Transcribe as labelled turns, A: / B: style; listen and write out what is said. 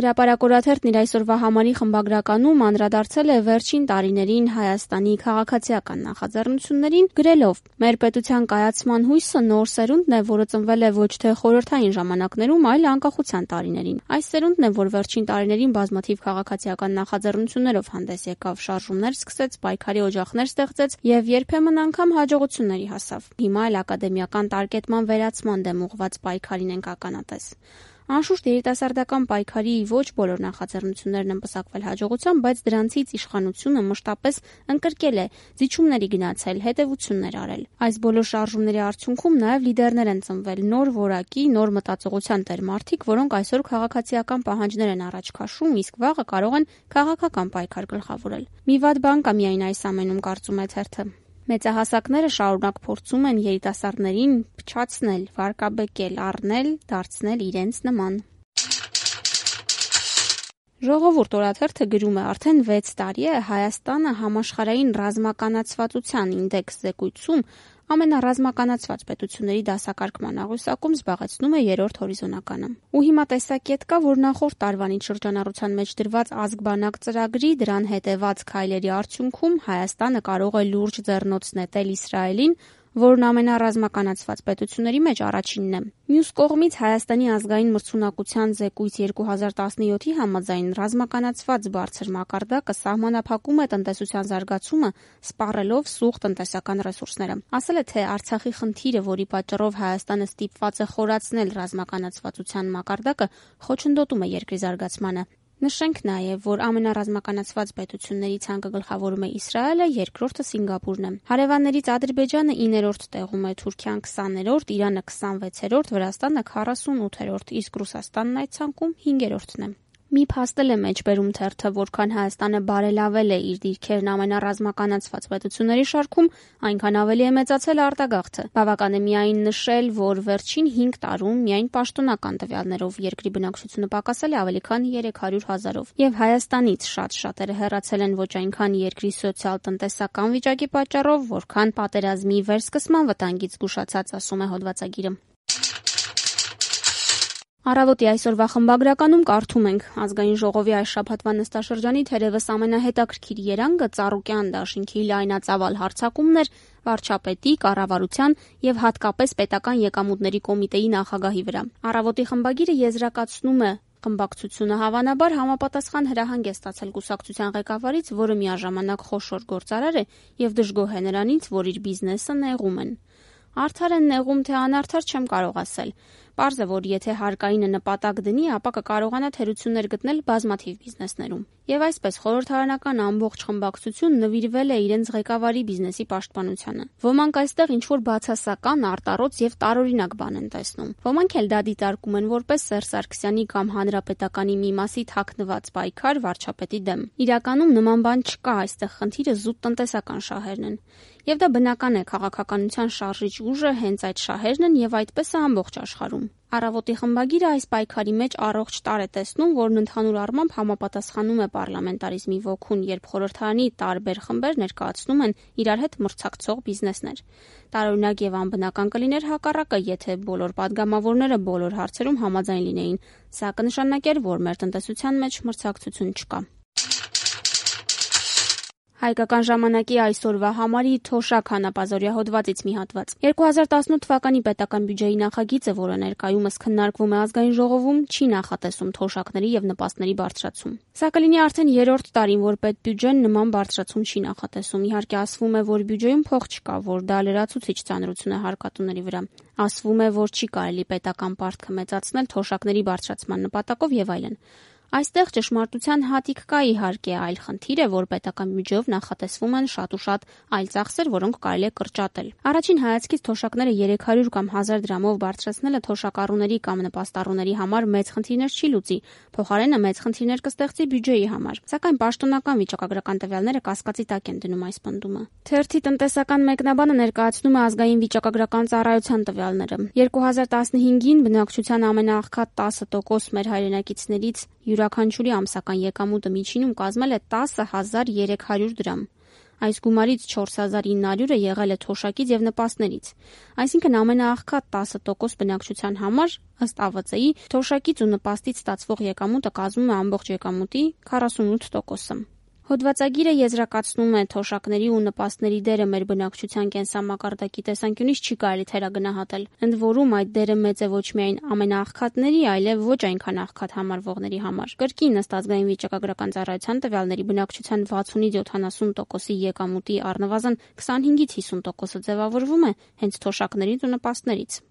A: Հրապարակորաթերթն իր այսօրվա համարի խմբագրականում անդրադարձել է վերջին տարիներին Հայաստանի քաղաքացիական նախաձեռնություններին, գրելով. «Մեր պետության կայացման հույսը նոր սերունդն է, որը ծնվել է ոչ թե խորհրդային ժամանակներում, այլ անկախության տարիներին։ Այս սերունդն է, որ վերջին տարիներին բազմաթիվ քաղաքացիական նախաձեռնություններով հանդես եկավ, շարժումներ սկսեց, պայքարի օջախներ ստեղծեց եւ երբեմն անգամ հաջողությունների հասավ։ Հիմա էլ ակադեմիական տարկետման վերացման դեմ ուղղված պայքարին ենք ականատես։ Անշուշտ երիտասարդական պայքարի ոչ բոլոր նախաձեռնություններն են պսակվել հաջողությամբ, բայց դրանցից իշխանությունը մշտապես ընկրկել է, զիջումների գնացել, հետևություններ արել։ Այս բոլոր շարժումների արդյունքում նաև լիդերներ են ծնվել, նոր որակի, նոր մտածողության տեր մարդիկ, որոնք այսօր քաղաքացիական պահանջներ են առաջ քաշում, իսկ վաղը կարող են քաղաքական պայքար գլխավորել։ Մի վատ բան կա միայն այս ամենում, կարծում է թերթը։ Մեծահասակները շարունակ փորձում են երիտասարդներին փչացնել, վարկաբեկել, առնել, դարձնել իրենց նման»։ Ժողովուրդ օրաթերթը գրում է. «Արդեն 6 տարի է Հայաստանը համաշխարհային ռազմականացվածության ինդեքս զեկույցում ամենառազմականացված պետությունների դասակարգման աղյուսակում զբաղեցնում է 3-րդ հորիզոնականը։ Ու հիմա տեսակետ կա, որ նախորդ տարվանից շրջանառության մեջ դրված ազգ-բանակ ծրագրի դրան հետևած քայլերի արդյունքում Հայաստանը կարող է լուրջ ձեռնոց նետել Իսրայելին, որն ամենառազմականացված պետությունների մեջ առաջինն է։ Մյուս կողմից Հայաստանի ազգային մրցունակության զեկույց 2017-ի համաձայն ռազմականացված բարձր մակարդակը սահմանափակում է տնտեսության զարգացումը, սպառելով սուղ տնտեսական ռեսուրսները։ Ասել է, թե Արցախի խնդիրը, որի պատճառով Հայաստանը ստիպված է խորացնել ռազմականացվածության մակարդակը, խոչընդոտում է երկրի զարգացմանը։ Նշենք նաև, որ ամենառազմականացված պետությունների ցանկը գլխավորում է Իսրայելը, երկրորդը Սինգապուրն է։ Հարևաններից Ադրբեջանը 9-րդ տեղում է, Թուրքիան 20-րդ, Իրանը 26-րդ, Վրաստանը 48-րդ, իսկ Ռուսաստանն այդ ցանկում 5-րդն է։ Մի փաստել է մեջբերում թերթը, որքան Հայաստանը բարելավել է իր դիրքերն ամենառազմականացված պետությունների շարքում, այնքան ավելի է մեծացել արտագաղթը։ Բավական է միայն նշել, որ վերջին 5 տարում միայն պաշտոնական տվյալներով երկրի բնակչությունը պակասել է ավելի քան 300,000-ով, եւ Հայաստանից շատ-շատերը հեռացել են ոչ այնքան երկրի սոցիալ-տնտեսական վիճակի պատճառով, որքան պատերազմի վերսկսման վտանգից զգուշացած, ասում է հոդվածագիրը։ Առավոտի այսօրվա խմբագրականում կարդում ենք. Ազգային ժողովի այս շաբաթվա նստաշրջանի թերևս ամենահետաքրքիր երանգը Ծառուկյան դաշինքի լայնածավալ հարձակումն էր վարչապետի, կառավարության եւ հատկապես պետական եկամուտների կոմիտեի նախագահի վրա։ Առավոտի խմբագիրը եզրակացնում է. խմբակցությունը հավանաբար համապատասխան հրահանգ է ստացել կուսակցության ղեկավարից, որը միաժամանակ խոշոր գործարար է եւ դժգոհ է նրանից, որ իր բիզնեսը նեղում են։ Արդար են նեղում, թե անարդար չեմ կարող ասել։ Պարզ է, որ եթե հարկայինը նպատակ դնի, ապա կկարողանա թերություններ գտնել բազմաթիվ բիզնեսներում։ Եվ այսպես խորհրդարանական ամբողջ խմբակցություն նվիրվել է իրենց ղեկավարի բիզնեսի պաշտպանությանը։ Ոմանք այստեղ ինչ-որ բացասական, արտառոց եւ տարօրինակ բան են տեսնում։ Ոմանք էլ դա դիտարկում են որպես Սերժ Սարգսյանի կամ Հանրապետականի մի մասի թաքնված պայքար վարչապետի դեմ։ Իրականում նման բան չկա, այստեղ խնդիրը զուտ տնտեսական շահերն են։ Եվ դա բնական է, քաղաքականության շարժիչ ուժը հենց այդ շահերն են եւ այդպես է ամբողջ աշխարհում։ Առավոտի խմբագիրը այս պայքարի մեջ առողջ տարր է տեսնում, որն ընդհանուր առմամբ համապատասխանում է պարլամենտարիզմի ոգուն, երբ խորհրդարանի տարբեր խմբեր ներկայացնում են իրար հետ մրցակցող բիզնեսներ։ Տարօրինակ եւ անբնական կլիներ հակառակը, եթե բոլոր падգամավորները բոլոր հարցերում համաձայն լինեին։ Սա կնշանակեր, որ մեր տնտեսության մեջ մրցակցություն չկա։ Հայկական ժամանակի այսօրվա համարի Թոշակ հանապազօրյա հոդվածից մի հատված։ 2018 թվականի պետական բյուջեի նախագիծը, որը ներկայումս քննարկվում է ազգային ժողովում, չի նախատեսում թոշակների եւ նպաստների բարձրացում։ Սա կլինի արդեն 3-րդ տարին, որ պետբյուջեն նման բարձրացում չի նախատեսում։ Իհարկե ասվում է, որ բյուջեում փող չկա, որ դա լրացուցիչ ծանրություն է հարկատուների վրա։ Ասվում է, որ չի կարելի պետական պարտքը մեծացնել թոշակների բարձրացման նպատակով եւ այլն։ Այստեղ ճշմարտության հատիկ կա իհարկե, այլ խնդիր է, որ պետական բյուջեով նախատեսվում են շատ ու շատ այլ ծախսեր, որոնք կարելի է կրճատել։ Առաջին հայացքից թոշակները 300 կամ 1000 դրամով բարձրացնելը թոշակառուների կամ նպաստառուների համար մեծ խնդիրներ չի լուծի, փոխարենը մեծ խնդիրներ կստեղծի բյուջեի համար։ Սակայն պաշտոնական վիճակագրական տվյալները կասկածի տակ են դնում այս պնդումը։ Թերթի տնտեսական մեկնաբանը ներկայացնում է ազգային վիճակագրական ծառայության տվյալները։ 2015-ին բնակչության ամենաաղքատ 10% մեր հայրենակիցներից յուրաքանչյուրի ամսական եկամուտը միջինում կազմել է 10,300 դրամ։ Այս գումարից 4900-ը եղել է թոշակից եւ նպաստներից։ Այսինքն ամենաաղքատ 10% բնակչության համար, ըստ ԱՎԾ-ի, թոշակից ու նպաստից ստացվող եկամուտը կազմում է ամբողջ եկամուտի 48%-ը։ Հոդվածագիրը եզրակացնում է, թոշակների ու նպաստների դերը մեր բնակչության կենսամակարդակի տեսանկյունից չի կարելի թերագնահատել։ Ընդ որում այդ դերը մեծ է ոչ միայն ամենաաղքատների, այլև ոչ այնքան աղքատ համարվողների համար։ Կրկին ըստ ազգային վիճակագրական ծառայության տվյալների բնակչության 60-ից 70%-ի եկամուտի առնվազն 25-ից 50%-ը ձևավորվում է հենց թոշակներից ու նպաստներից։